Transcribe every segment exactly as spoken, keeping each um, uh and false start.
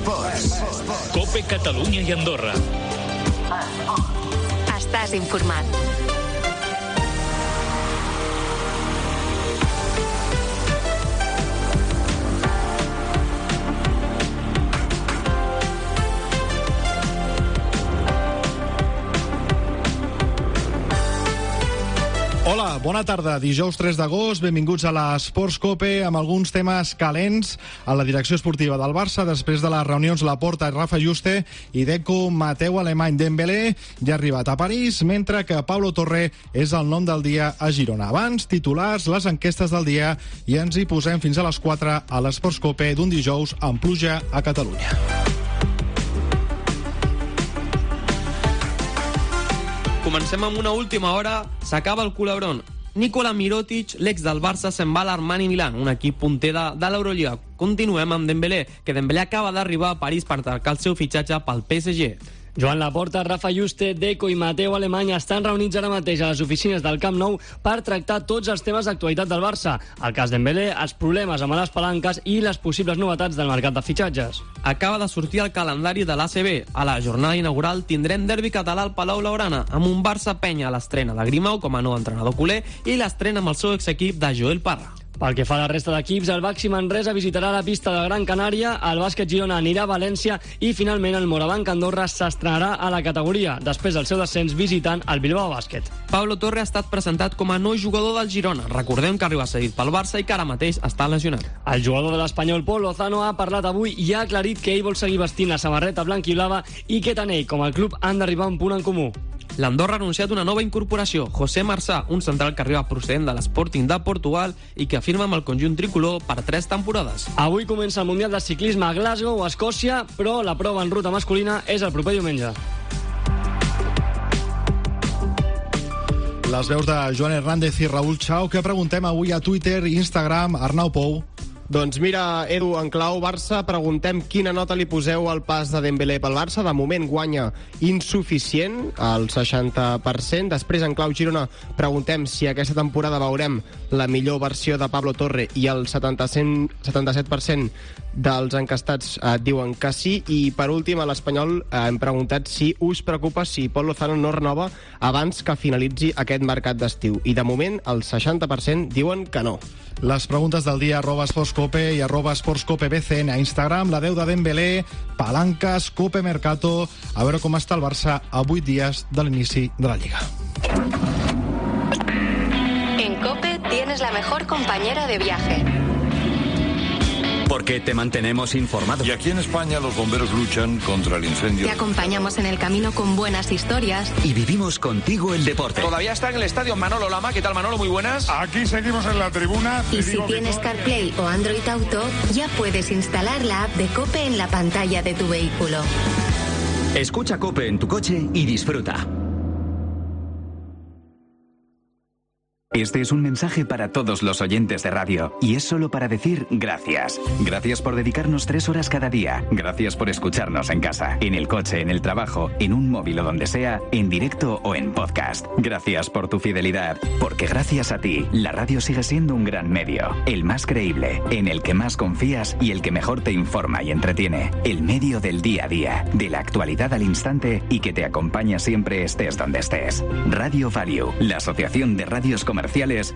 Esports. COPE Catalunya i Andorra. Estàs informat. Hola, bona tarda. Dijous tres d'agost, benvinguts a l'Esports COPE amb alguns temes calents a la direcció esportiva del Barça després de les reunions Laporta i Rafa Juste i Deco, Mateu Alemany, Dembélé ja ha arribat a París, mentre que Pablo Torre és el nom del dia a Girona. Abans, titulars, les enquestes del dia i ens hi posem fins a les quatre a l'Esports COPE d'un dijous amb pluja a Catalunya. Comencem amb una última hora. S'acaba el culebrón. Nikola Mirotic, l'ex del Barça, se'n va a l'Armani Milán, un equip punter de, de l'Eurolliga. Continuem amb Dembélé, que Dembélé acaba d'arribar a París per tancar el seu fitxatge pel P S G. Joan Laporta, Rafa Juste, Deco i Mateu Alemany estan reunits ara mateix a les oficines del Camp Nou per tractar tots els temes d'actualitat del Barça. El cas Dembélé, els problemes amb les palanques i les possibles novetats del mercat de fitxatges. Acaba de sortir el calendari de l'A C B. A la jornada inaugural tindrem derbi català al Palau Blaugrana, amb un Barça-Penya a l'estrena de Grimau com a nou entrenador culer i l'estrena amb el seu exequip de Joel Parra. Pel que fa a la resta d'equips, el Baxi Manresa visitarà la pista de Gran Canària, el Bàsquet Girona anirà a València i finalment el Morabanc Andorra s'estrenarà a la categoria, després del seu descens visitant el Bilbao Bàsquet. Pablo Torre ha estat presentat com a nou jugador del Girona. Recordem que arriba cedit pel Barça i que ara mateix està lesionat. El jugador de l'Espanyol Pol Lozano ha parlat avui i ha aclarit que ell vol seguir vestint la samarreta blanc-i-blava i que tant ell com el club han d'arribar a un punt en comú. L'Andorra ha anunciat una nova incorporació, José Marsá, un central que arriba procedent de l'Sporting de Portugal i que firma amb el conjunt tricolor per tres temporades. Avui comença el Mundial de Ciclisme a Glasgow, a Escòcia, però la prova en ruta masculina és el proper diumenge. Les veus de Joan Hernández i Raúl Chao, que preguntem avui a Twitter i Instagram. Arnau Pou. Doncs mira, Edu, en clau Barça, preguntem quina nota li poseu al pas de Dembélé pel Barça. De moment guanya insuficient, al seixanta per cent. Després, en clau Girona, preguntem si aquesta temporada veurem la millor versió de Pablo Torre i el setanta-set per cent dels encastats eh, diuen que sí. I per últim, a l'Espanyol eh, hem preguntat si us preocupa si Pol Lozano no renova abans que finalitzi aquest mercat d'estiu. I de moment el seixanta per cent diuen que no. Les preguntes del dia arroba esportscope i arroba esportscopebcn a Instagram. La deu de Dembélé, palanques, Cope Mercato. A veure com està el Barça a vuit dies de l'inici de la Lliga. En Cope tienes la mejor compañera de viaje. Porque te mantenemos informado. Y aquí en España los bomberos luchan contra el incendio. Te acompañamos en el camino con buenas historias. Y vivimos contigo el deporte. Todavía está en el estadio Manolo Lama. ¿Qué tal, Manolo? Muy buenas. Aquí seguimos en la tribuna. Y si tienes CarPlay o Android Auto, ya puedes instalar la app de Cope en la pantalla de tu vehículo. Escucha Cope en tu coche y disfruta. Este es un mensaje para todos los oyentes de radio y es solo para decir gracias. Gracias por dedicarnos tres horas cada día. Gracias por escucharnos en casa, en el coche, en el trabajo, en un móvil o donde sea, en directo o en podcast. Gracias por tu fidelidad, porque gracias a ti, la radio sigue siendo un gran medio, el más creíble, en el que más confías y el que mejor te informa y entretiene. El medio del día a día, de la actualidad al instante y que te acompaña siempre estés donde estés. Radio Value, la Asociación de Radios Comerciales,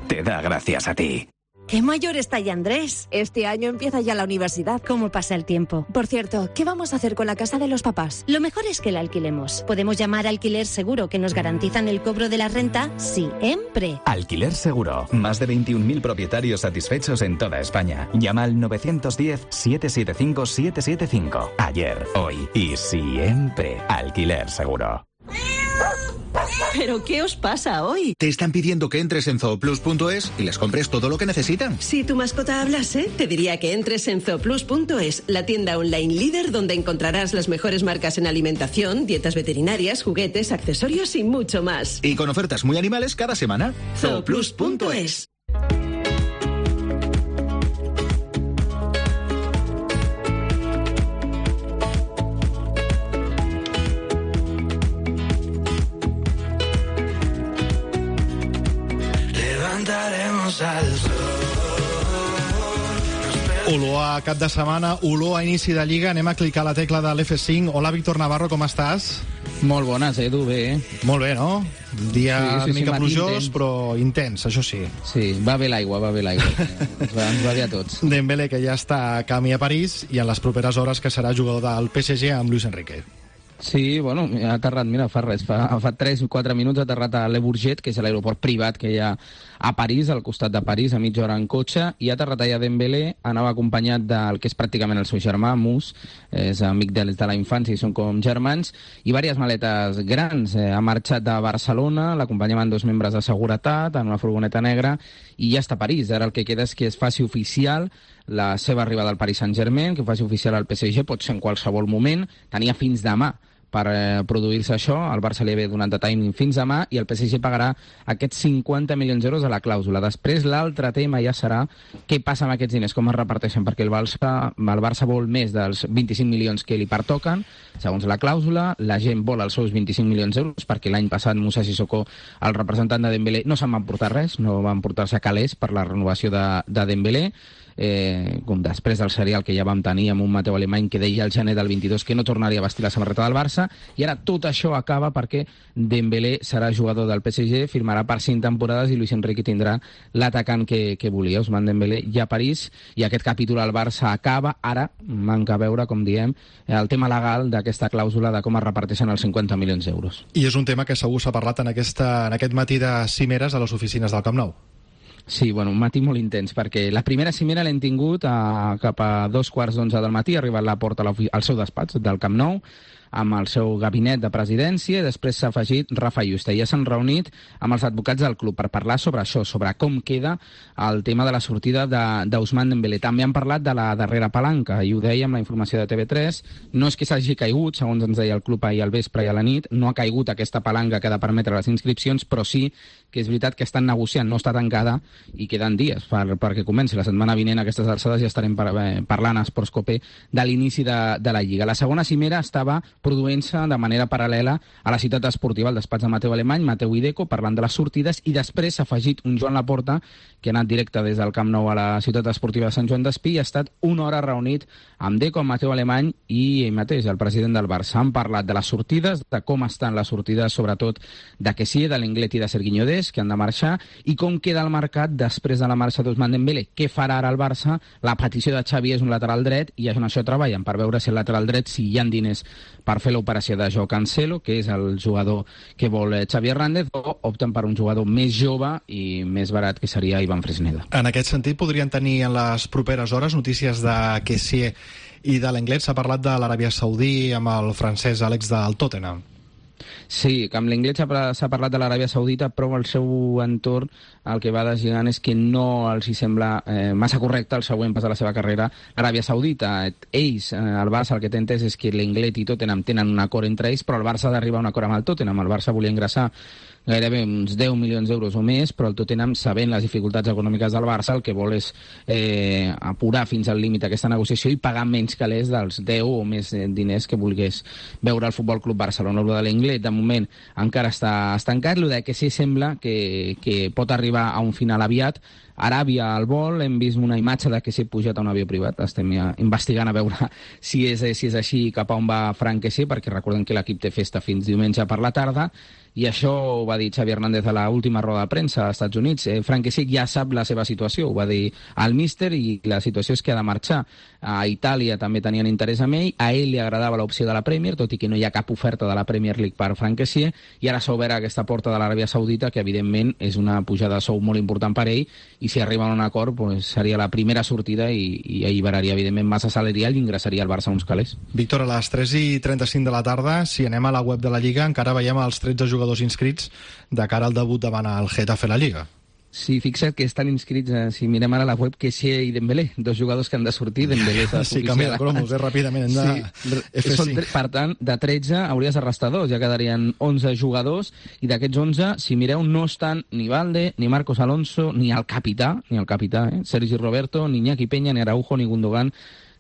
te da gracias a ti. ¡Qué mayor está ya Andrés! Este año empieza ya la universidad. ¿Cómo pasa el tiempo? Por cierto, ¿qué vamos a hacer con la casa de los papás? Lo mejor es que la alquilemos. Podemos llamar a Alquiler Seguro, que nos garantizan el cobro de la renta siempre. Alquiler Seguro. Más de veintiún mil propietarios satisfechos en toda España. Llama al nueve uno cero, siete siete cinco, siete siete cinco. Ayer, hoy y siempre. Alquiler Seguro. ¿Pero qué os pasa hoy? Te están pidiendo que entres en zooplus punto es y les compres todo lo que necesitan. Si tu mascota hablase, te diría que entres en zooplus punto es, la tienda online líder donde encontrarás las mejores marcas en alimentación, dietas veterinarias, juguetes, accesorios y mucho más. Y con ofertas muy animales cada semana. zooplus punto es. Levantaremos al sol. Olor a cap de setmana, olor a inici de Lliga. Anem a clicar la tecla de l'F cinc. Hola, Víctor Navarro, com estàs? Molt bones, Edu, bé. Molt bé, no? Un dia sí, sí, una mica sí, plujós, intens. però intens, això sí. Sí, va bé l'aigua, va bé l'aigua. ens, va, ens va bé a tots. Dembélé, que ja està a camí a París, i en les properes hores que serà jugador del P S G amb Luis Enrique. Sí, bueno, ha aterrat, mira, fa res, fa, fa tres o quatre minuts ha aterrat a Le Bourget, que és l'aeroport privat que hi ha a París, al costat de París, a mitja hora en cotxe, i ha aterrat allà Dembélé, anava acompanyat del que és pràcticament el seu germà, Mus, és amic de, de la infància i són com germans, i diverses maletes grans. Eh, ha marxat de Barcelona, l'acompanyaven dos membres de seguretat en una furgoneta negra, i ja està a París. Ara el que queda és que es faci oficial la seva arribada al Paris Saint-Germain, que faci oficial al P S G, pot ser en qualsevol moment, tenia fins demà per eh, produir-se això, el Barça li havia donat de timing fins demà i el P S G pagarà aquests cinquanta milions d'euros a la clàusula. Després l'altre tema ja serà què passa amb aquests diners, com es reparteixen, perquè el Barça, el Barça vol més dels vint-i-cinc milions que li pertoquen, segons la clàusula, la gent vol els seus vint-i-cinc milions d'euros, perquè l'any passat Moussa Sissoko, el representant de Dembélé, no se'n van portar res, no van portar-se calés per la renovació de, de Dembélé, eh, com després del serial que ja vam tenir amb un Mateu Alemany que deia al gener del vint-i-dos que no tornaria a vestir la samarreta del Barça, i ara tot això acaba perquè Dembélé serà jugador del P S G, firmarà per cinc temporades i Luis Enrique tindrà l'atacant que, que volia, Ousmane Dembélé, ja a París, i aquest capítol al Barça acaba. Ara manca veure, com diem, el tema legal d'aquesta clàusula de com es reparteixen els cinquanta milions d'euros. I és un tema que segur s'ha parlat en, aquesta, en aquest matí de cimeres a les oficines del Camp Nou. Sí, bueno, un matí molt intens, perquè la primera cimera l'hem tingut a, cap a dos quarts d'onze del matí, ha arribat la porta al seu despatx del Camp Nou, amb el seu gabinet de presidència, i després s'ha afegit Rafa Yuste. Ja s'han reunit amb els advocats del club per parlar sobre això, sobre com queda el tema de la sortida d'Ousmane Dembélé. També han parlat de la darrera palanca, i ho dèiem, la informació de T V tres, no és que s'hagi caigut, segons ens deia el club ahir al vespre i a la nit, no ha caigut aquesta palanca que ha de permetre les inscripcions, però sí que és veritat que estan negociant, no està tancada i queden dies per, perquè comenci. La setmana vinent, a aquestes alçades, ja estarem par eh, parlant a Esports Cope de l'inici de, de la Lliga. La segona cimera estava produint-se de manera paral·lela a la ciutat esportiva, al despatx de Mateu Alemany, Mateu i Deco, parlant de les sortides, i després s'ha afegit un Joan Laporta, que ha anat directe des del Camp Nou a la ciutat esportiva de Sant Joan d'Espí, i ha estat una hora reunit amb Deco, amb Mateu Alemany i ell mateix, el president del Barça. Han parlat de les sortides, de com estan les sortides, sobretot de Kessié, de l'Englet i de Serginho Dest, que han de marxar, i com queda el mercat després de la marxa d'Ousmane Dembélé. Què farà ara el Barça? La petició de Xavi és un lateral dret, i en això treballen, per veure si el lateral dret, si hi ha diners per fer l'operació de Joao Cancelo, que és el jugador que vol Xavi Hernández, o opten per un jugador més jove i més barat, que seria Ivan Fresneda. En aquest sentit, podrien tenir en les properes hores notícies de Kessié i de l'Englet. S'ha parlat de l'Aràbia Saudí amb el francès Àlex del Tottenham. Sí, que amb l'Englet s'ha parlat de l'Aràbia Saudita, però el seu entorn el que va desgirant és que no els hi sembla eh, massa correcte el següent pas de la seva carrera l'Aràbia Saudita. Ells, eh, el Barça, el que té entès és que l'Englet i Tottenham tenen un acord entre ells, però el Barça ha d'arribar a un acord amb el Tottenham. El Barça volia ingressar gairebé uns deu milions d'euros o més, però el Tottenham, sabent les dificultats econòmiques del Barça, el que vol és eh, apurar fins al límit aquesta negociació i pagar menys calés dels deu o més diners que volgués veure el Futbol Club Barcelona. Lo de l'Englet, de moment, encara està estancat. Lo de que sí sembla que, que pot arribar a un final aviat. Aràbia al vol, hem vist una imatge de que s'ha pujat a un avió privat, estem ja investigant a veure si és, si és així, cap a on va Frank Kessié, perquè recordem que l'equip té festa fins diumenge per la tarda, i això ho va dir Xavi Hernández a l'última roda de premsa als Estats Units. Eh, Frank Kessié ja sap la seva situació, ho va dir al míster, i la situació és que ha de marxar. A Itàlia també tenien interès en ell, a ell li agradava l'opció de la Premier, tot i que no hi ha cap oferta de la Premier League per Frank Kessié, i ara s'ha obert aquesta porta de l'Aràbia Saudita, que evidentment és una pujada de sou molt important per ell, i si arriba a un acord pues, seria la primera sortida i, i alliberaria evidentment massa salarial i ingressaria al Barça uns calés. Víctor, a les tres i trenta-cinc de la tarda, si anem a la web de la Lliga, encara veiem els tretze jugadors inscrits de cara al debut davant el Getafe a la Lliga. Sí, fixa't que estan inscrits, eh, si mirem ara la web, Kessié i Dembélé, dos jugadors que han de sortir. Dembélé és sí, canvia de cromos, eh, ràpidament. Hem de... sí, són, per tant, de tretze hauries de restar dos, ja quedarien onze jugadors, i d'aquests onze, si mireu, no estan ni Valde, ni Marcos Alonso, ni el capità, ni el capità, eh, Sergi Roberto, ni Iñaki Peña, ni Araujo, ni Gundogan,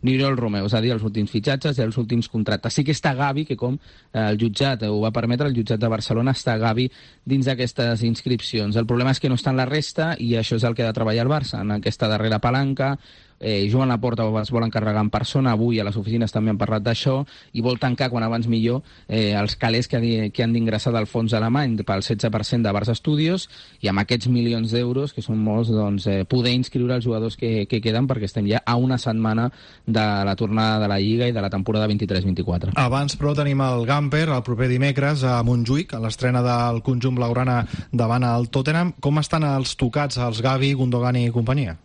ni Oriol Romeu, és a dir, els últims fitxatges i els últims contractes. Sí que està Gavi, que com el jutjat ho va permetre, el jutjat de Barcelona, està Gavi dins d'aquestes inscripcions. El problema és que no està en la resta, i això és el que ha de treballar el Barça, en aquesta darrera palanca, Eh, Joan Laporta es vol encarregar en persona, avui a les oficines també han parlat d'això, i vol tancar quan abans millor eh, els calés que, ha, que han d'ingressar del fons alemany pel setze per cent de Barça Studios, i amb aquests milions d'euros, que són molts, doncs, eh, poder inscriure els jugadors que, que queden, perquè estem ja a una setmana de la tornada de la Lliga i de la temporada vint-i-tres vint-i-quatre. Abans, però, tenim el Gamper el proper dimecres a Montjuïc, a l'estrena del conjunt blaugrana davant el Tottenham. Com estan els tocats, els Gavi, Gundogan i companyia?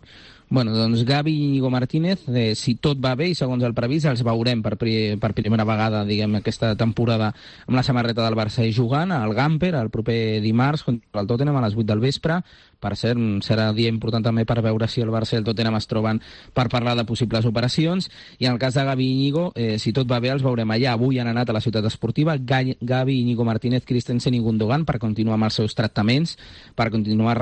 Bueno, doncs Gavi i Íñigo Martínez, eh, si tot va bé i segons el previst, els veurem per, pri per primera vegada, diguem, aquesta temporada amb la samarreta del Barça i jugant al Gamper el proper dimarts contra el Tottenham a les vuit del vespre. Per cert, serà dia important també per veure si el Barça i el Tottenham es troben per parlar de possibles operacions. I en el cas de Gavi i Íñigo, eh, si tot va bé, els veurem allà. Avui han anat a la ciutat esportiva Gavi, Íñigo Martínez, Christensen i Gundogan per continuar amb els seus tractaments, per continuar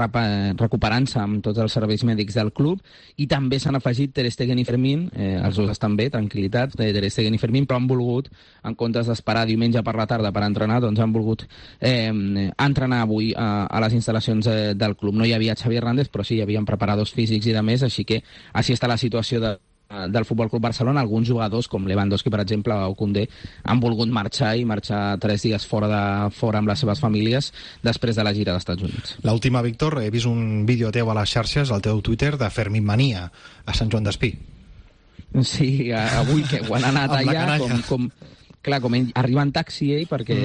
recuperant-se amb tots els serveis mèdics del club. I també s'han afegit Ter Stegen i Fermín, eh, els dos estan bé, tranquil·litat, eh, Ter Stegen i Fermín, però han volgut, en comptes d'esperar diumenge per la tarda per entrenar, doncs han volgut eh, entrenar avui a, a les instal·lacions eh, del club. No hi havia Xavi Hernández, però sí hi havia preparadors físics i de més, així que així està la situació de, del Futbol Club Barcelona. Alguns jugadors, com Lewandowski, per exemple, o Koundé, han volgut marxar i marxar tres dies fora, de, fora amb les seves famílies després de la gira dels Estats Units. L'última, Víctor, he vist un vídeo teu a les xarxes, al teu Twitter, de Fermín Mania a Sant Joan d'Espí. Sí, avui que ho han anat allà, com... com... Clar, com ell arriba en taxi ell, perquè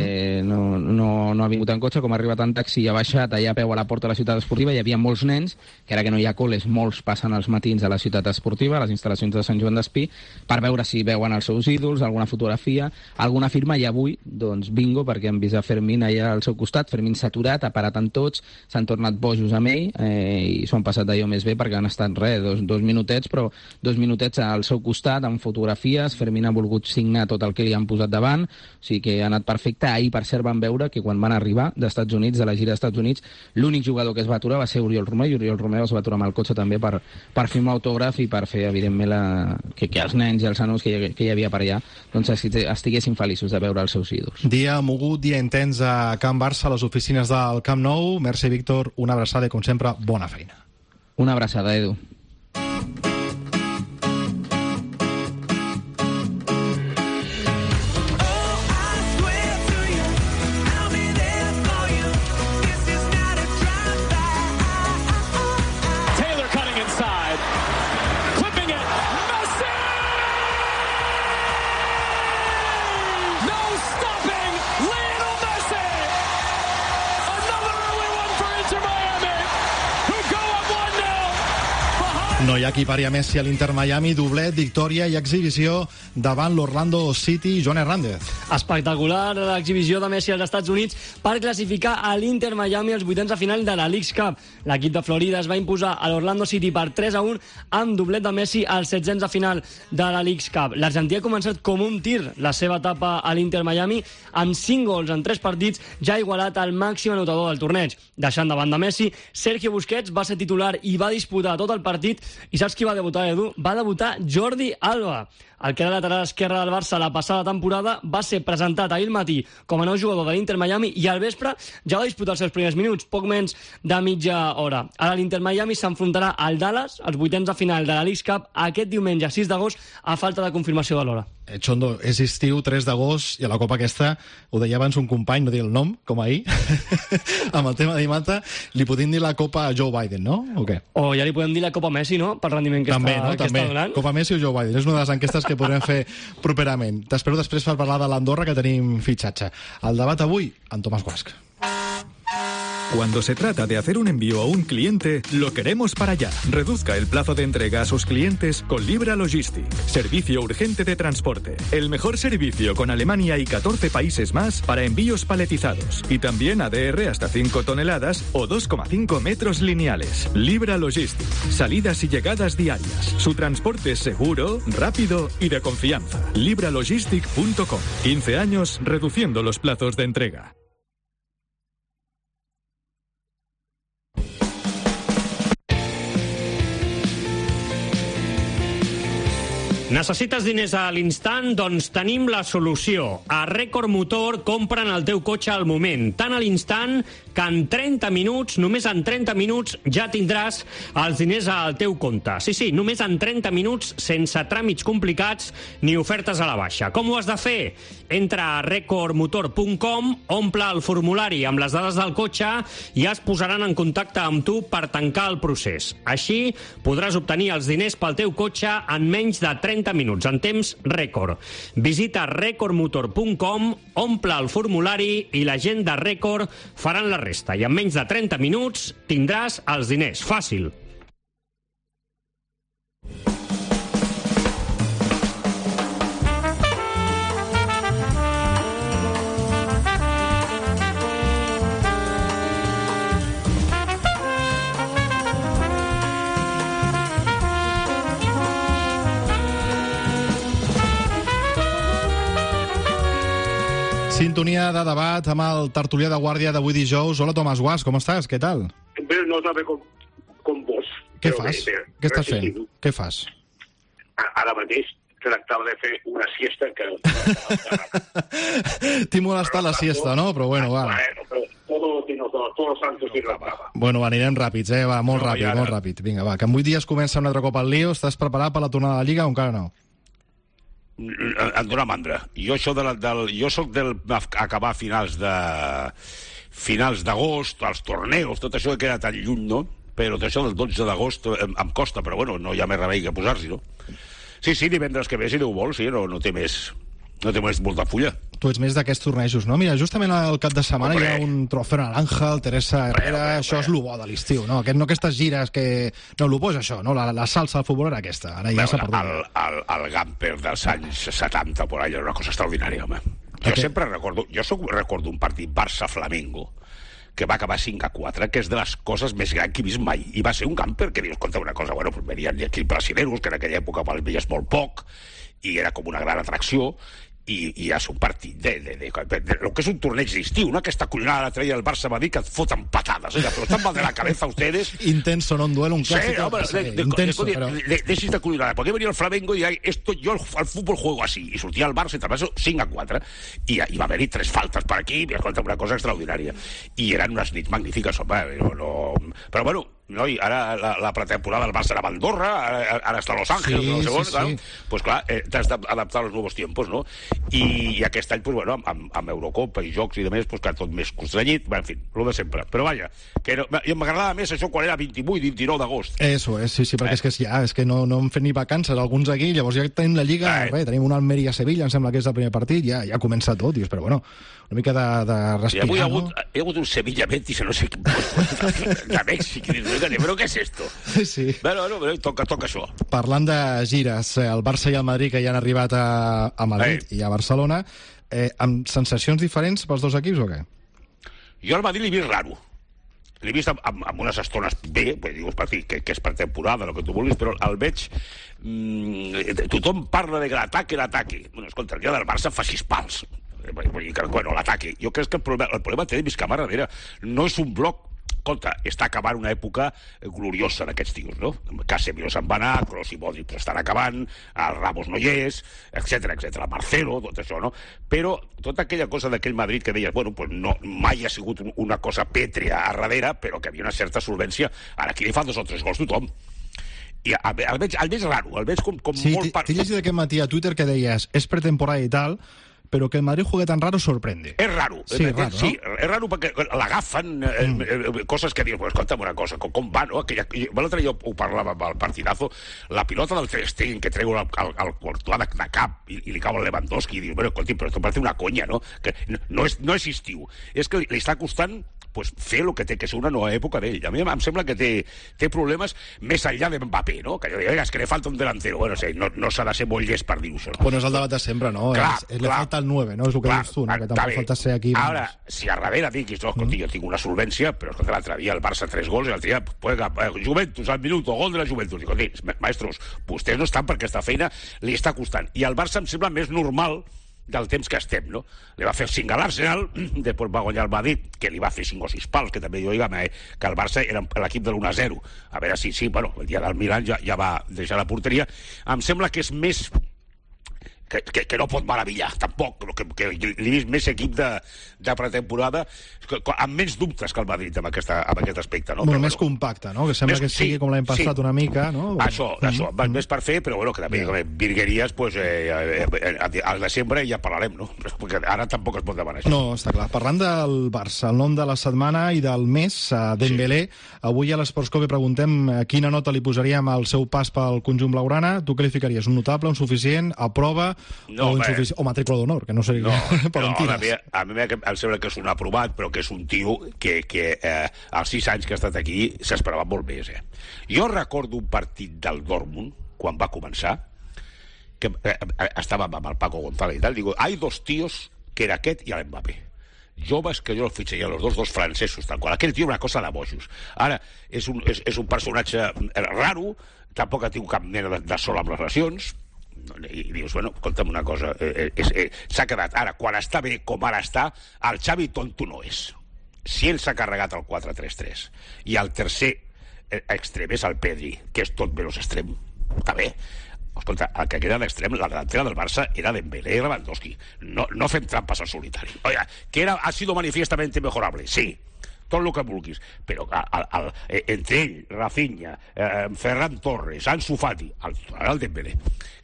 mm. no, no, no ha vingut en cotxe, com ha arribat en taxi i ha baixat allà a peu a la porta de la ciutat esportiva, hi havia molts nens, que ara que no hi ha col·les, molts passen els matins a la ciutat esportiva, a les instal·lacions de Sant Joan d'Espí, per veure si veuen els seus ídols, alguna fotografia, alguna firma, i avui, doncs, bingo, perquè han vist a Fermín allà al seu costat. Fermín s'ha aturat, ha parat amb tots, s'han tornat bojos amb ell, eh, i s'ho han passat d'allò més bé, perquè han estat, res, dos, dos minutets, però dos minutets al seu costat, amb fotografies. Fermín ha volgut signar tot el que li han posat davant, o sigui que ha anat perfecte. Ahir, per cert, van veure que quan van arribar dels Estats Units, de la gira dels Estats Units, l'únic jugador que es va aturar va ser Oriol Romeu, i Oriol Romeu es va aturar amb el cotxe també per, per firmar autògraf i per fer, evidentment, la, que, que els nens i els nanos que hi, que hi havia per allà doncs estiguessin feliços de veure els seus ídols. Dia mogut, dia intens a Can Barça, a les oficines del Camp Nou. Merci, Víctor, una abraçada i, com sempre, bona feina. Una abraçada, Edu. No hi ha qui pari a Messi a l'Inter Miami, doblet, victòria i exhibició davant l'Orlando City. Joan Hernández. Espectacular l'exhibició de Messi als Estats Units per classificar a l'Inter Miami als vuitens de final de la Leagues Cup. L'equip de Florida es va imposar a l'Orlando City per tres a un amb doblet de Messi als setzents de final de la Leagues Cup. L'Argentí ha començat com un tir la seva etapa a l'Inter Miami amb cinc gols en tres partits, ja ha igualat el màxim anotador del torneig. Deixant de banda Messi, Sergio Busquets va ser titular i va disputar tot el partit. I saps qui va debutar, Edu? Va debutar Jordi Alba. El que era lateral esquerre del Barça la passada temporada va ser presentat ahir al matí com a nou jugador de l'Inter Miami i al vespre ja va disputar els seus primers minuts, poc menys de mitja hora. Ara l'Inter Miami s'enfrontarà al Dallas, als vuitens de final de la Leagues Cup, aquest diumenge sis d'agost, a falta de confirmació de l'hora. Eh, Chondo, és estiu, tres d'agost, i a la Copa aquesta, ho deia abans un company, no dir el nom, com ahir, amb el tema d'Imata, li podem dir la Copa a Joe Biden, no? O què? O ja li podem dir la Copa Messi, no?, pel rendiment que, també, està, no? que també. està donant. Copa Messi o Joe Biden, és una de les enquestes que podrem fer properament. T'espero després per parlar de l'Andorra, que tenim fitxatge. El debat avui, amb Tomàs Guasc. Cuando se trata de hacer un envío a un cliente, lo queremos para allá. Reduzca el plazo de entrega a sus clientes con Libra Logistic. Servicio urgente de transporte. El mejor servicio con Alemania y catorce países más para envíos paletizados. Y también A D R hasta cinco toneladas o dos coma cinco metros lineales. Libra Logistic. Salidas y llegadas diarias. Su transporte es seguro, rápido y de confianza. libralogistic punto com. quince años reduciendo los plazos de entrega. Necessites diners a l'instant? Doncs tenim la solució. A Record Motor compren el teu cotxe al moment, tan a l'instant que en trenta minuts, només en trenta minuts, ja tindràs els diners al teu compte. Sí, sí, només en trenta minuts, sense tràmits complicats ni ofertes a la baixa. Com ho has de fer? Entra a record motor punt com, omple el formulari amb les dades del cotxe i es posaran en contacte amb tu per tancar el procés. Així podràs obtenir els diners pel teu cotxe en menys de trenta minuts, en temps rècord. Visita record motor punt com, omple el formulari i la gent de Record faran la resta. I en menys de trenta minuts tindràs els diners. Fàcil. Sintonia de debat amb el tertulià de guàrdia d'avui dijous. Hola, Tomàs Guas, com estàs? Què tal? Bé, no sabe com, com vos. Què fas? Bé, bé, Què estàs fent? Què fas? Ara mateix tractava de fer una siesta que... T'hi molestat la siesta, no? Però bueno, va. Bueno, però todo, todo, todos los santos y la brava. Bueno, va, anirem ràpids, eh? Va, molt no, ràpid, ara... molt ràpid. Vinga, va, que en vuit dies comença un altre cop el lío. Estàs preparat per la tornada de la Lliga o encara no? Em dóna mandra. Jo, això de la, del, jo soc del acabar a finals de finals d'agost, els torneos, tot això que queda tan lluny, no? Però tot això del dotze d'agost em, em costa, però bueno, no hi ha més remei que posar-s'hi, no? Sí, sí, divendres que ve, si Déu vol, sí, no, no té més... No té més molta fulla. Tu ets més d'aquests tornejos, no? Mira, justament al cap de setmana Hombre. Hi ha un trofeu naranja, el Teresa Herrera, Hombre, això Hombre. És lo bo de l'estiu, no? Aquest, no aquestes gires que... No, lo bo és això, no? La, la salsa al futbol era aquesta, ara ja s'ha perdut. El, el, el Gamper dels anys setanta, por allà, era una cosa extraordinària, home. Jo okay. sempre recordo... Jo soc, recordo un partit Barça-Flamengo que va acabar cinc a quatre, que és de les coses més grans que he vist mai. I va ser un Gamper que dius, escolta, una cosa, bueno, pues venien aquí brasileros, que en aquella època els veies molt poc, i era com una gran atracció, i, i és un partit de, de, de, de, de lo que és un torneig d'estiu, no? Aquesta culinada la traia el Barça va dir que et foten patadas, oiga, però estan mal de la cabeza ustedes. Intenso, no? Un duelo, un clásico. Sí, hombre, de, de, intenso, de, pero... de, de, de, de culinada. ¿Por qué venía el Flamengo y esto, yo al fútbol juego así? I sortia el Barça i travesso cinc a quatre, i, i va haver-hi tres faltes per aquí, i escolta, una cosa extraordinària. I eren unes nits magnífiques, home, no, no... Però bueno, no, i ara la, la pretemporada del Barça era a Andorra, ara, ara està a Los Ángeles, sí, no sé on, sí, claro. Sí. Pues clar, eh, t'has d'adaptar als nous tiempos, no? I, i aquest any, pues bueno, amb, amb Eurocopa i jocs i de més, pues clar, tot més constrenyit, en fi, el de sempre. Però vaja, que no, m'agradava més això quan era vint-i-vuit, vint-i-nou d'agost. Eso és, sí, sí, perquè eh. és que ja, és que no, no hem fet ni vacances, alguns aquí, llavors ja tenim la Lliga, eh. res, tenim un Almeria-Sevilla, em sembla que és el primer partit, ja, ja comença tot, dius, però bueno, una mica de, de respirar, sí, hi ha hagut, no? Hi ha hagut un Sevilla-Betis, no sé quin de Mèxic, però què és esto? Sí. Bueno, bueno, toca, toca això. Parlant de gires, el Barça i el Madrid que ja han arribat a, a Madrid eh. i a Barcelona, eh, amb sensacions diferents pels dos equips o què? Jo al Madrid l'he vist raro. L'he vist amb, amb, amb unes estones bé, dius, que, que és per temporada, el que tu vulguis, però el veig... Mmm, tothom parla de que l'ataque, l'ataque. Bueno, escolta, el dia del Barça fa sis pals. Bueno, l'ataque. Jo crec que el problema, el problema té Vizcama darrere. No és un bloc. Escolta, està acabant una època gloriosa d'aquests tios, no? Casemiro se'n va anar, Kroos i Modric estan acabant, el Ramos no hi és, etcètera, etcètera, Marcelo, tot això, no? Però tota aquella cosa d'aquell Madrid que deies, bueno, pues no, mai ha sigut una cosa pètrea a darrere, però que havia una certa solvència. Ara aquí li fan dos o tres gols tothom. I el, el, veig, el veig raro, el veig com, com sí, molt... Sí, t'he llegit aquest matí a Twitter que deies, és pretemporada i tal, pero que el Madrid juegue tan raro sorprende. És raro. Sí, és raro, sí, no? És raro perquè l'agafen eh, mm. eh, coses que dius, pues, escolta'm una cosa, com, com va, no? Aquella, l'altre jo ho parlava amb el partidazo, la pilota del Ter Stegen que treu el, el, el Courtois de, de cap i, i li cau el Lewandowski i dius, bueno, escolti, però esto parece una conya, no? Que no, no, és, no és estiu. És que li, li està costant pues, fer el que té que ser una nova època d'ell. A mi em sembla que té, té problemes més enllà de Mbappé, no? Que jo dic, és que li falta un delantero. Bueno, sí, no, no s'ha de ser molt llest per dir-ho, això. No? Bueno, és el debat de sempre, no? Clar, és, és, li falta el nueve, no? És el que clar, dius tu, no? Que tampoc falta ser aquí... Ara, si a darrere diguis, no, escolti, mm. jo tinc una solvència, però escolta, l'altre dia el Barça tres gols i l'altre dia, pues, Juventus al minut, gol de la Juventus. Dic, escolti, maestros, vostès no estan perquè aquesta feina li està costant. I el Barça em sembla més normal del temps que estem, no? Li va fer cinc a l'Arsenal, després va guanyar el Madrid, que li va fer cinc o sis pals, que també jo dic que el Barça era l'equip de l'u a zero. A veure si, sí, bueno, el dia del Milan ja, ja va deixar la porteria. Em sembla que és més que, que, que no pot meravellar, tampoc, que, que l'he vist més equip de, de pretemporada amb menys dubtes que el Madrid amb, aquesta, amb aquest aspecte, no? Molt però, més bueno, compacte, no? Que sembla més, que sigui sí, com l'any passat sí. una mica, no? Això, mm. això, mm. més per fer, però bueno, que també yeah. virgueries, pues, eh, eh, al desembre ja parlarem, no? Perquè ara tampoc es pot demanar això. No, està clar. Parlant del Barça, el nom de la setmana i del mes, Dembélé, sí. Avui a l'Esports Cope preguntem quina nota li posaríem al seu pas pel conjunt blaugrana. Tu qualificaries un notable, un suficient, a prova no, o, insufici... o matrícula d'honor, que no seria no, per no, on tires. A mi, a mi em sembla que és un aprovat, però que és un tio que, que eh, als sis anys que ha estat aquí s'esperava molt més. Eh? Jo recordo un partit del Dortmund, quan va començar, que eh, estàvem amb el Paco González i tal, digo, hay dos tíos, que era aquest i l'Mbappé. Joves que jo el fitxaria, els dos, dos francesos, tal qual. Aquell tio una cosa de bojos. Ara, és un, és, és un personatge raro, tampoc ha tingut cap mena de, de sol amb les lesions, i dius, bueno, escolta'm una cosa, eh, eh, eh, s'ha quedat. Ara, quan està bé, com ara està, el Xavi tonto no és. Si ell s'ha carregat el quatre tres tres i el tercer extrem és el Pedri, que és tot menys extrem, està bé. Escolta, el que queda d'extrem, la delantera del Barça era Dembélé i Lewandowski. No, no fem trampes al solitari. Oiga, que era, ha sido manifiestamente mejorable, sí, tot el que vulguis, però el, el, el, entre ell, Rafinha, eh, Ferran Torres, Ansu Fati, el, el Dembélé,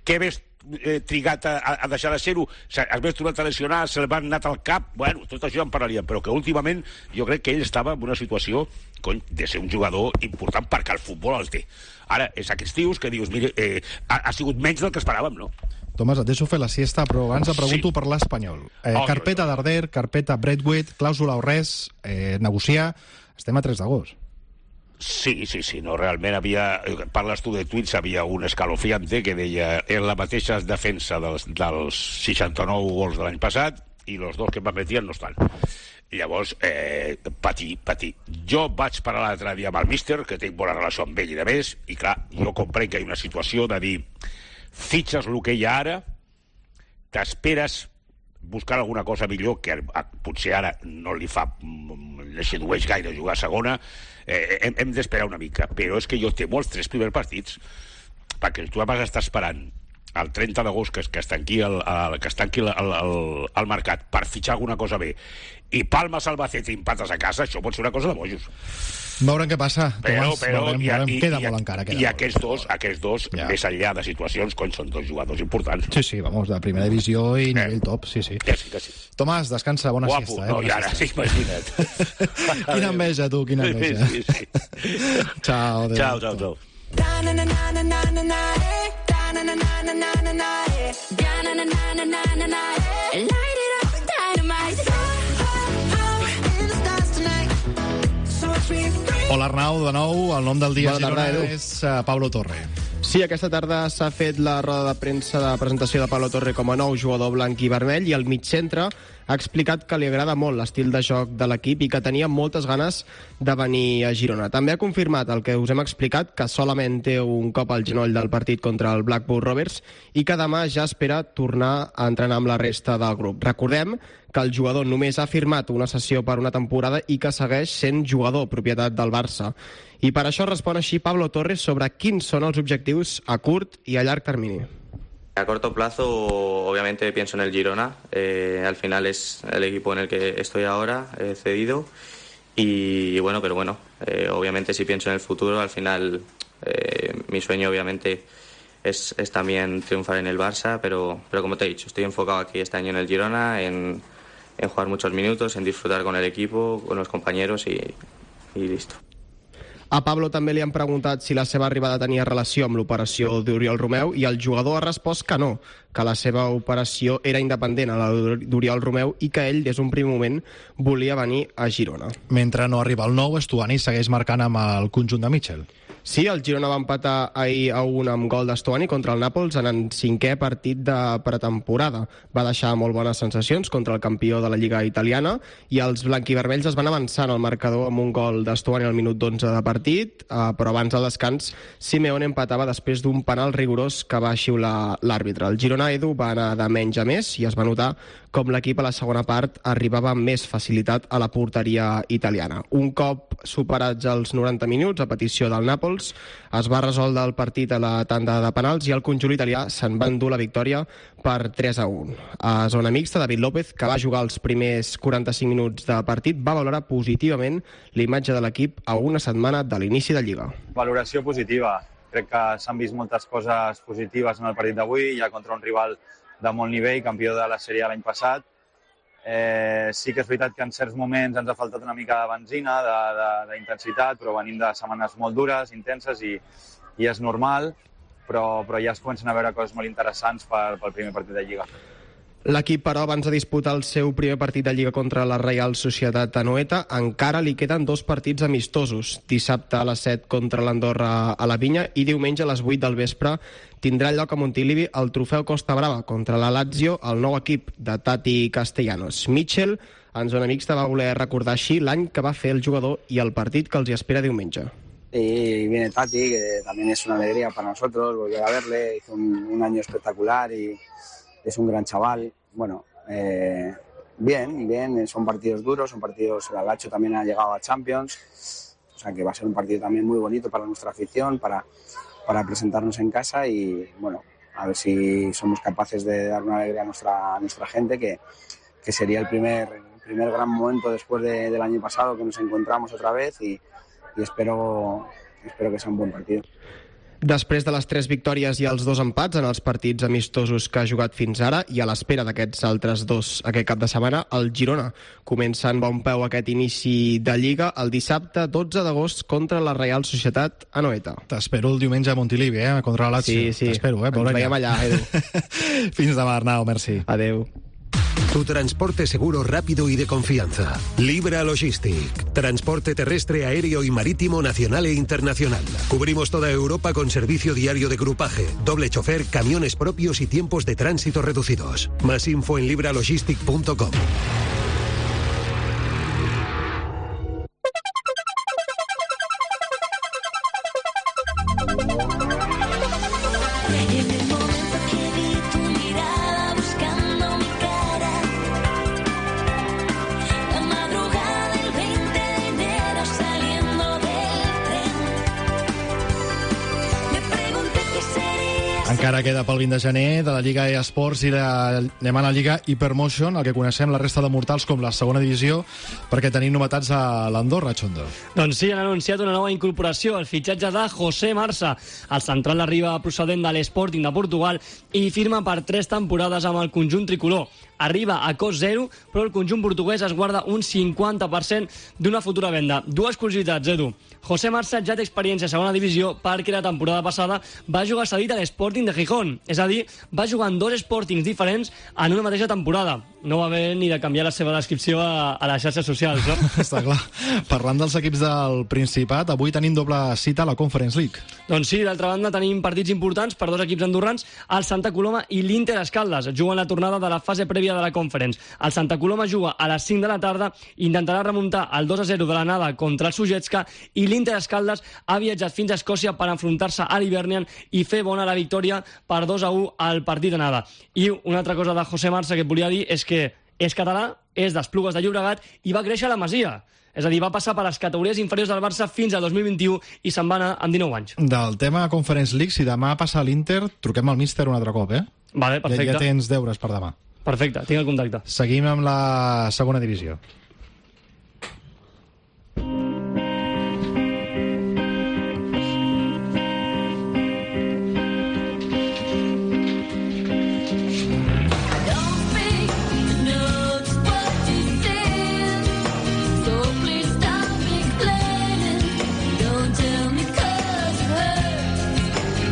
què ves eh, trigat a, a deixar de ser-ho, es ves tornat a lesionar, se'l van anat al cap, bueno, tot això ja en parlaríem, però que últimament jo crec que ell estava en una situació cony, de ser un jugador important perquè el futbol el té. Ara, és aquests tios que dius, mire, eh, ha, ha sigut menys del que esperàvem, no? Tomàs, et deixo fer la siesta, però abans et pregunto sí. per l'Espanyol. Eh, oh, carpeta Darder, carpeta Braithwaite, clàusula o res, eh, negociar, estem a tres d'agost. Sí, sí, sí, no, realment havia, parles tu de tuits, havia un escalofriante que deia en la mateixa defensa dels, dels seixanta-nou gols de l'any passat i els dos que em metien no estan. Llavors, eh, patir, patir. Jo vaig parar l'altre dia amb el míster, que tinc bona relació amb ell i de més, i clar, jo comprenc que hi ha una situació de dir fitxes el que hi ha ara, t'esperes buscar alguna cosa millor, que potser ara no li fa, li sedueix gaire jugar a segona, eh, hem, hem d'esperar una mica, però és que jo temo els tres primers partits, perquè tu vas estar esperant el trenta d'agost que, que es tanqui el, el, que es tanqui el, el, el mercat per fitxar alguna cosa bé i palmes Albacete i empates a casa, això pot ser una cosa de bojos. Veurem què passa, però, Tomàs, però, veurem, i, veurem. I, Queda i, molt encara. Queda I molt. aquests dos, aquests dos ja. Més enllà de situacions, cony, són dos jugadors importants. Sí, sí, vamos, de primera divisió i eh. nivell top, sí, sí. Que sí, que sí. Tomàs, descansa, bona Guapo, siesta. Eh? No, i ara, sí, imagina't. Quina enveja, tu, quina enveja. Sí, sí, sí. Ciao, adéu. Ciao, ciao, ciao. Hola Arnau, de nou, el nom del dia Bona tarda, Girona Edu. és uh, Pablo Torre. Sí, aquesta tarda s'ha fet la roda de premsa de presentació de Pablo Torre com a nou jugador blanc i vermell i el mitjantre ha explicat que li agrada molt l'estil de joc de l'equip i que tenia moltes ganes de venir a Girona. També ha confirmat el que us hem explicat, que solament té un cop al genoll del partit contra el Blackburn Rovers i que demà ja espera tornar a entrenar amb la resta del grup. Recordem que el jugador només ha firmat una sessió per una temporada i que segueix sent jugador, propietat del Barça. I per això respon així Pablo Torres sobre quins són els objectius a curt i a llarg termini. A corto plazo, obviamente pienso en el Girona. Eh, al final es el equipo en el que estoy ahora, he cedido. Y, y bueno, pero bueno, eh, obviamente si pienso en el futuro, al final eh, mi sueño obviamente es, es también triunfar en el Barça, pero, pero como te he dicho, estoy enfocado aquí este año en el Girona, en, en jugar muchos minutos, en disfrutar con el equipo, con los compañeros y, y listo. A Pablo també li han preguntat si la seva arribada tenia relació amb l'operació d'Oriol Romeu i el jugador ha respost que no, que la seva operació era independent a la d'Oriol Romeu i que ell, des d'un primer moment, volia venir a Girona. Mentre no arriba el nou, Estuani segueix marcant amb el conjunt de Mitchell. Sí, el Girona va empatar ahir a un amb gol d'Estuani contra el Nàpols en el cinquè partit de pretemporada. Va deixar molt bones sensacions contra el campió de la Lliga italiana i els blanquivermells es van avançar en el marcador amb un gol d'Estuani al minut dotze de partit, però abans del descans Simeone empatava després d'un penal rigorós que va xiular l'àrbitre. El Girona, Edu, va anar de menys a més i es va notar com l'equip a la segona part arribava amb més facilitat a la porteria italiana. Un cop superats els noranta minuts, a petició del Nàpols, es va resoldre el partit a la tanda de penals i el conjunt italià se'n va endur la victòria per tres a un. A zona mixta, David López, que va jugar els primers quaranta-cinc minuts de partit, va valorar positivament l'imatge de l'equip a una setmana de l'inici de Lliga. Valoració positiva. Crec que s'han vist moltes coses positives en el partit d'avui, ja contra un rival de molt nivell, campió de la sèrie l'any passat. Eh, sí que és veritat que en certs moments ens ha faltat una mica de benzina, d'intensitat, però venim de setmanes molt dures, intenses, i, i és normal, però, però ja es comencen a veure coses molt interessants per, pel primer partit de Lliga. L'equip, però, abans de disputar el seu primer partit de Lliga contra la Reial Societat Anoeta, encara li queden dos partits amistosos. Dissabte a les set contra l'Andorra a la Vinya i diumenge a les vuit del vespre tindrà lloc a Montilivi el trofeu Costa Brava contra la Lazio, el nou equip de Tati Castellanos. Mitchell, en zona mixta, va voler recordar així l'any que va fer el jugador i el partit que els hi espera diumenge. Y viene Tati, que también es una alegría para nosotros volver a verle. Hizo un, un año espectacular y es un gran chaval. Bueno, eh, bien, bien, son partidos duros, son partidos, el Alacho también ha llegado a Champions, o sea que va a ser un partido también muy bonito para nuestra afición, para, para presentarnos en casa y bueno, a ver si somos capaces de dar una alegría a nuestra, a nuestra gente, que, que sería el primer, el primer gran momento después de, del año pasado que nos encontramos otra vez y, y espero, espero que sea un buen partido. Després de les tres victòries i els dos empats en els partits amistosos que ha jugat fins ara i a l'espera d'aquests altres dos aquest cap de setmana, el Girona comença en bon peu aquest inici de Lliga el dissabte dotze d'agost contra la Reial Societat Anoeta. T'espero el diumenge a Montilivi, eh? Contra la Lazio. Sí, sí. T'espero, eh? Ens veiem allà, Edu. Fins demà, Arnau, merci. Adeu. Tu transporte seguro, rápido y de confianza. Libra Logistic. Transporte terrestre, aéreo y marítimo nacional e internacional. Cubrimos toda Europa con servicio diario de grupaje, doble chofer, camiones propios y tiempos de tránsito reducidos. Más info en libralogistic punto com. Encara queda pel vint de gener de la Lliga eSports i de... anem a la Lliga Hypermotion, el que coneixem la resta de mortals com la segona divisió, perquè tenim novetats a l'Andorra, Xondo. Doncs sí, han anunciat una nova incorporació, el fitxatge de José Marsa. El central arriba procedent de l'Sporting de Portugal i firma per tres temporades amb el conjunt tricolor. Arriba a cost zero, però el conjunt portuguès es guarda un cinquanta per cent d'una futura venda. Dues curiositats, Edu. José Marsa ja té experiència a segona divisió perquè la temporada passada va jugar cedit a l'Sporting de Gijón. És a dir, va jugar en dos Sportings diferents en una mateixa temporada. No va haver ni de canviar la seva descripció a, a les xarxes socials, no? Està clar. Parlant dels equips del Principat, avui tenim doble cita a la Conference League. Doncs sí, d'altra banda tenim partits importants per dos equips andorrans, el Santa Coloma i l'Inter Escaldes. Juguen la tornada de la fase prèvia de la Conference. El Santa Coloma juga a les cinc de la tarda, intentarà remuntar el dos a zero de l'anada contra el Sujetska i l'Inter Escaldes ha viatjat fins a Escòcia per enfrontar-se a l'Hibernian i fer bona la victòria per dos a u al partit d'anada. I una altra cosa de José Marsa que et volia dir és que és català, és d'Esplugues de Llobregat i va créixer a la Masia. És a dir, va passar per les categories inferiors del Barça fins al dos mil vint-i-u i se'n va anar amb dinou anys. Del tema Conference League, si demà passa a l'Inter, truquem al míster un altre cop, eh? Vale, perfecte. Ja, ja tens deures per demà. Perfecte, tinc el contacte. Seguim amb la segona divisió.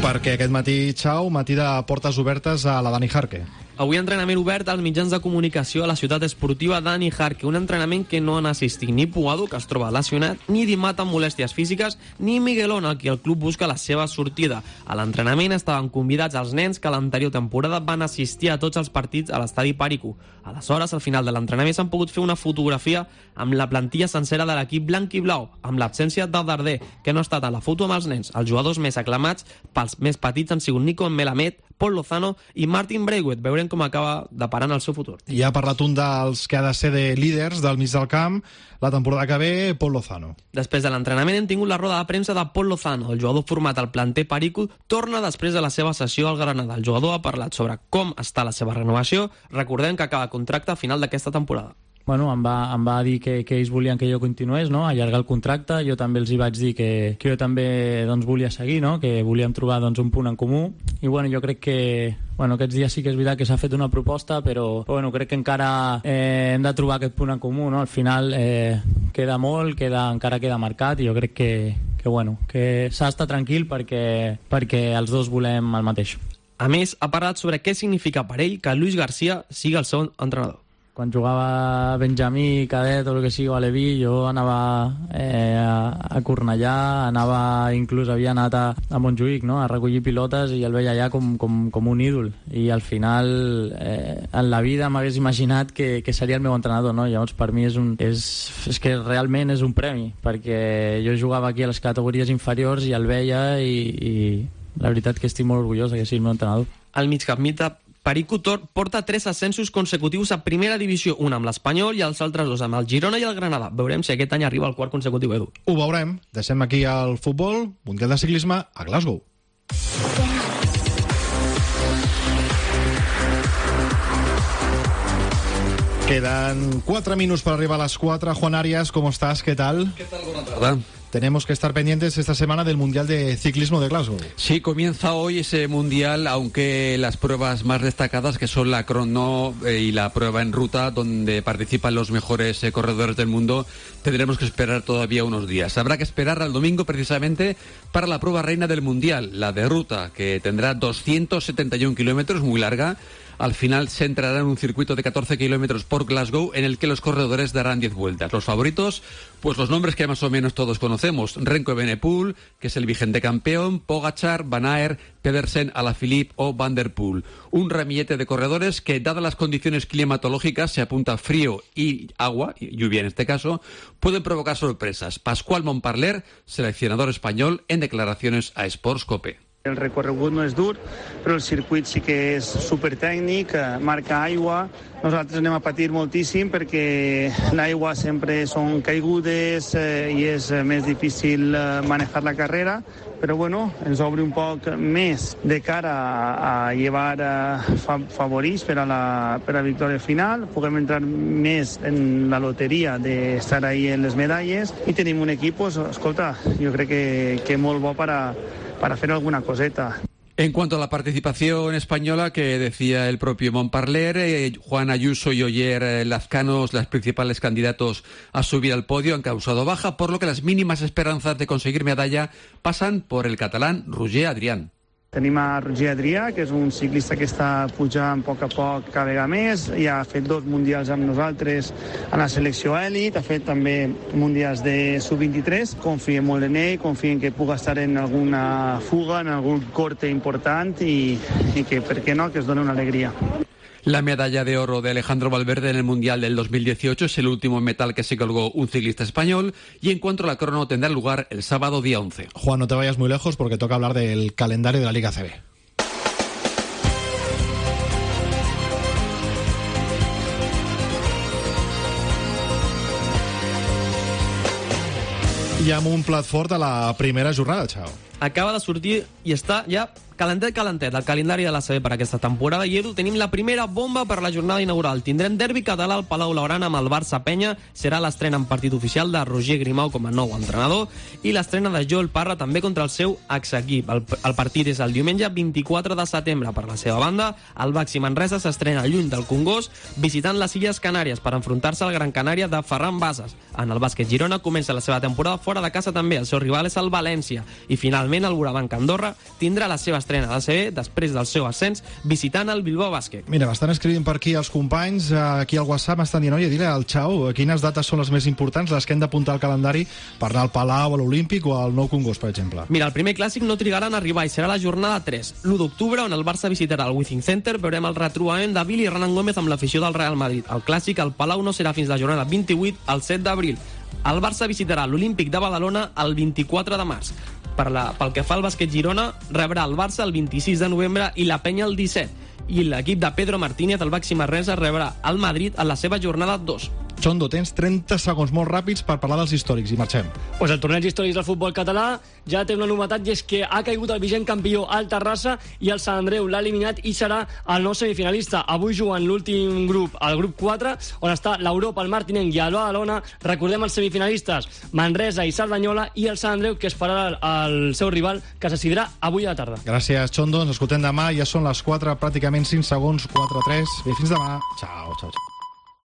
Perquè aquest matí, Xau, matí de portes obertes a la Dani Jarque. Avui entrenament obert als mitjans de comunicació a la ciutat esportiva Dani Jarque, un entrenament que no han assistit ni Puado, que es troba lesionat, ni Dimat amb molèsties físiques, ni Miguelón, a qui el club busca la seva sortida. A l'entrenament estaven convidats els nens que l'anterior temporada van assistir a tots els partits a l'estadi Pàrico. Aleshores, al final de l'entrenament s'han pogut fer una fotografia amb la plantilla sencera de l'equip blanc i blau, amb l'absència del Darder, que no ha estat a la foto amb els nens. Els jugadors més aclamats pels més petits han sigut Nico Melamed, Paul Lozano i Martin Braithwaite. Veurem com acaba deparant el seu futur. I ha parlat un dels que ha de ser de líders del mig del camp la temporada que ve, Paul Lozano. Després de l'entrenament hem tingut la roda de premsa de Paul Lozano. El jugador format al planter Perico torna després de la seva sessió al Granada. El jugador ha parlat sobre com està la seva renovació. Recordem que acaba contracte a final d'aquesta temporada. Bueno, em va, em va dir que, que ells volien que jo continués, no? Allargar el contracte. Jo també els hi vaig dir que, que jo també doncs, volia seguir, no? Que volíem trobar doncs, un punt en comú. I bueno, jo crec que bueno, aquests dies sí que és veritat que s'ha fet una proposta, però bueno, crec que encara eh, hem de trobar aquest punt en comú, no? Al final eh, queda molt, queda, encara queda marcat, i jo crec que, que, bueno, que s'ha d'estar tranquil perquè, perquè els dos volem el mateix. A més, ha parlat sobre què significa per ell que Luis García sigui el seu entrenador. Quan jugava Benjamí, Cadet o el que sigui, o Aleví, jo anava eh, a, a Cornellà, anava, inclús havia anat a, a Montjuïc, no?, a recollir pilotes, i el veia allà com, com, com un ídol. I al final, eh, en la vida m'hagués imaginat que, que seria el meu entrenador, no? Llavors, per mi és, un, és, és que realment és un premi, perquè jo jugava aquí a les categories inferiors i el veia, i, i la veritat que estic molt orgullós que sigui el meu entrenador. Al migcampista Perico Tor porta tres ascensos consecutius a primera divisió, un amb l'Espanyol i els altres dos amb el Girona i el Granada. Veurem si aquest any arriba al quart consecutiu, Edu. Ho veurem. Deixem aquí el futbol, Mundial de Ciclisme a Glasgow. Quedan cuatro minutos para arribar a las cuatro. Juan Arias, ¿cómo estás? ¿Qué tal? ¿Qué tal? Buenas tardes. Tenemos que estar pendientes esta semana del Mundial de Ciclismo de Glasgow. Sí, comienza hoy ese Mundial, aunque las pruebas más destacadas, que son la crono eh, y la prueba en ruta, donde participan los mejores eh, corredores del mundo, tendremos que esperar todavía unos días. Habrá que esperar al domingo precisamente para la prueba reina del Mundial, la de ruta, que tendrá doscientos setenta y un kilómetros, muy larga. Al final se entrará en un circuito de catorce kilómetros por Glasgow, en el que los corredores darán diez vueltas. Los favoritos, pues los nombres que más o menos todos conocemos: Remco Evenepoel, que es el vigente campeón, Pogačar, Van Aert, Pedersen, Alaphilippe o Van der Poel. Un ramillete de corredores que, dadas las condiciones climatológicas, se apunta frío y agua, lluvia en este caso, pueden provocar sorpresas. Pascual Montparler, seleccionador español, en declaraciones a Sports Cope. El recorregut no és dur, però el circuit sí que és supertècnic, marca aigua. Nosaltres anem a patir moltíssim perquè l'aigua sempre són caigudes eh, i és més difícil manejar la carrera, però bueno, ens obre un poc més de cara a, a llevar eh, fa, favorits per a la per a victòria final. Puguem entrar més en la loteria d'estar ahí en les medalles i tenim un equip, pues, escolta, jo crec que, que molt bo per a para hacer alguna coseta. En cuanto a la participación española, que decía el propio Montparler, eh, Juan Ayuso y Oyer eh, Lazcanos, los principales candidatos a subir al podio, han causado baja, por lo que las mínimas esperanzas de conseguir medalla pasan por el catalán Roger Adrián. Tenim a Roger Adrià, que és un ciclista que està pujant a poc a poc cada vegada més, ja ha fet dos mundials amb nosaltres a la selecció elit, ha fet també mundials de sub vint-i-tres, confiem molt en ell, confiem que puga estar en alguna fuga, en algun corte important i, i que, per què no, que es doni una alegria. La medalla de oro de Alejandro Valverde en el Mundial del dos mil dieciocho es el último metal que se colgó un ciclista español, y en cuanto a la crono tendrá lugar el sábado día once. Juan, no te vayas muy lejos porque toca hablar del calendario de la Liga C B. I amb un plat fort a la primera jornada, Xau. Acaba de sortir i està ja calentet, calentet, el calendari de la C B per aquesta temporada. I Edu, tenim la primera bomba per la jornada inaugural. Tindrem derbi català al Palau Blaugrana amb el Barça-Penya. Serà l'estrena en partit oficial de Roger Grimau com a nou entrenador i l'estrena de Joel Parra també contra el seu exequip. El, el partit és el diumenge vint-i-quatre de setembre. Per la seva banda, el Baxi Manresa s'estrena lluny del Congost, visitant les Illes Canàries per enfrontar-se al Gran Canària de Ferran Bases. En el bàsquet Girona comença la seva temporada fora de casa també. El seu rival és el València. I finalment el Burabanc Andorra tindrà la seva estrena de C B després del seu ascens visitant el Bilbao Bàsquet. Mira, m'estan escrivint per aquí els companys, aquí al WhatsApp m'estan dient, oye, dile al Xau quines dates són les més importants, les que hem d'apuntar al calendari per anar al Palau, a l'Olímpic o al Nou Congost, per exemple. Mira, el primer clàssic no trigarà en arribar i serà la jornada tres, l'u d'octubre, on el Barça visitarà el Wizzing Center. Veurem el retrobament de Billy Renan Gómez amb l'afició del Real Madrid. El clàssic al Palau no serà fins la jornada vint-i-vuit, al set d'abril. El Barça visitarà l'Olímpic de Badalona el vint-i-quatre de març. Per la, pel que fa al bàsquet Girona, rebrà el Barça el vint-i-sis de novembre i la Penya el disset. I l'equip de Pedro Martínez, el Baxi Manresa, rebrà el Madrid en la seva jornada dos. Chondo, tens trenta segons molt ràpids per parlar dels històrics i marxem. Pues el torneig històrics del futbol català ja té una novetat, i és que ha caigut el vigent campió al Terrassa i el Sant Andreu l'ha eliminat i serà el nou semifinalista. Avui juguen l'últim grup, el grup quatre, on està l'Europa, el Martinenc i el Badalona. Recordem els semifinalistes, Manresa i Cerdanyola, i el Sant Andreu, que esperarà el seu rival, que se decidirà avui a la tarda. Gràcies, Chondo. Ens escoltem demà. Ja són les quatre, pràcticament cinc segons, quatre tres. Bé, fins demà. Ciao, ciao, ciao.